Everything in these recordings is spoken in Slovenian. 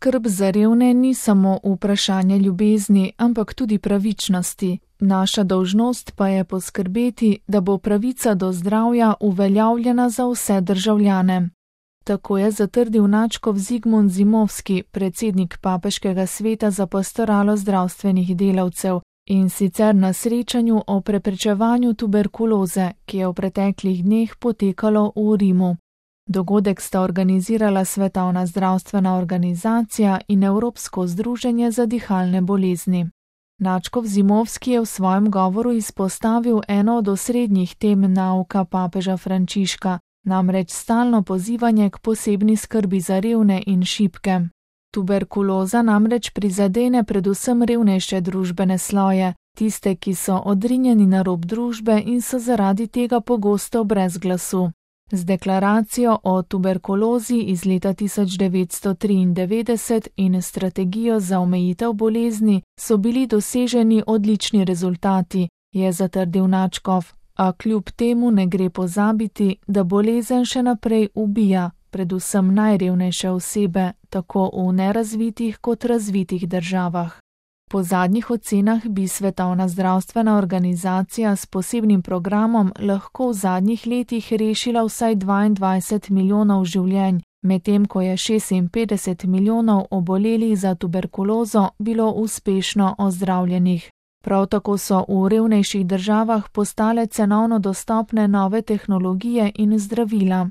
Skrb za revne ni samo vprašanje ljubezni, ampak tudi pravičnosti. Naša dolžnost pa je poskrbeti, da bo pravica do zdravja uveljavljena za vse državljane. Tako je zatrdil nadškof Zigmund Zimovski, predsednik Papeškega sveta za pastoralo zdravstvenih delavcev, in sicer na srečanju o preprečevanju tuberkuloze, ki je v preteklih dneh potekalo v Rimu. Dogodek sta organizirala Svetovna zdravstvena organizacija in Evropsko združenje za dihalne bolezni. Nadškof Zimovski je v svojem govoru izpostavil eno od osrednjih tem nauka papeža Frančiška, namreč stalno pozivanje k posebni skrbi za revne in šibke. Tuberkuloza namreč prizadene predvsem revnejše družbene sloje, tiste, ki so odrinjeni na rob družbe in so zaradi tega pogosto brez glasu. Z deklaracijo o tuberkulozi iz leta 1993 in strategijo za omejitev bolezni so bili doseženi odlični rezultati, je zatrdil nadškof, a kljub temu ne gre pozabiti, da bolezen še naprej ubija, predvsem najrevnejše osebe, tako v nerazvitih kot razvitih državah. Po zadnjih ocenah bi Svetovna zdravstvena organizacija s posebnim programom lahko v zadnjih letih rešila vsaj 22 milijonov življenj, medtem ko je 56 milijonov obolelih za tuberkulozo bilo uspešno ozdravljenih. Prav tako so v revnejših državah postale cenovno dostopne nove tehnologije in zdravila.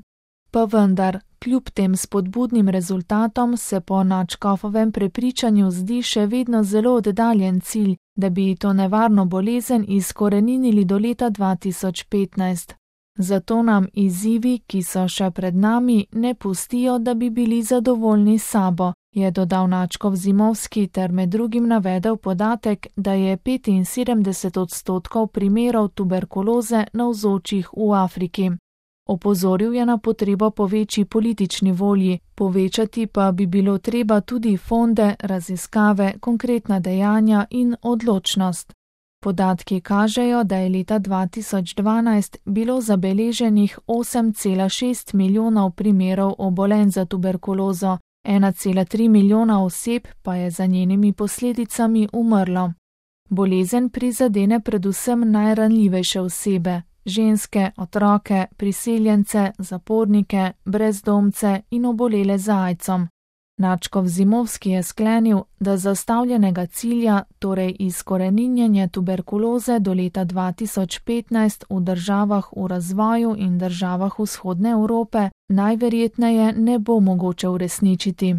Pa vendar, kljub tem spodbudnim rezultatom se po nadškofovem prepričanju zdi še vedno zelo oddaljen cilj, da bi to nevarno bolezen izkoreninili do leta 2015. Zato nam izzivi, ki so še pred nami, ne pustijo, da bi bili zadovoljni s sabo, je dodal nadškof Zimovski ter med drugim navedel podatek, da je 75% primerov tuberkuloze navzočih v Afriki. Opozoril je na potrebo po večji politični volji, povečati pa bi bilo treba tudi fonde, raziskave, konkretna dejanja in odločnost. Podatki kažejo, da je leta 2012 bilo zabeleženih 8,6 milijonov primerov obolenj za tuberkulozo, 1,3 milijona oseb pa je za njenimi posledicami umrlo. Bolezen prizadene predvsem najranljivejše osebe, ženske, otroke, priseljence, zapornike, brezdomce in obolele za aidsom. Nadškof Zimovski je sklenil, da zastavljenega cilja, torej izkoreninjenje tuberkuloze do leta 2015 v državah v razvoju in državah vzhodne Evrope, najverjetneje ne bo mogoče uresničiti.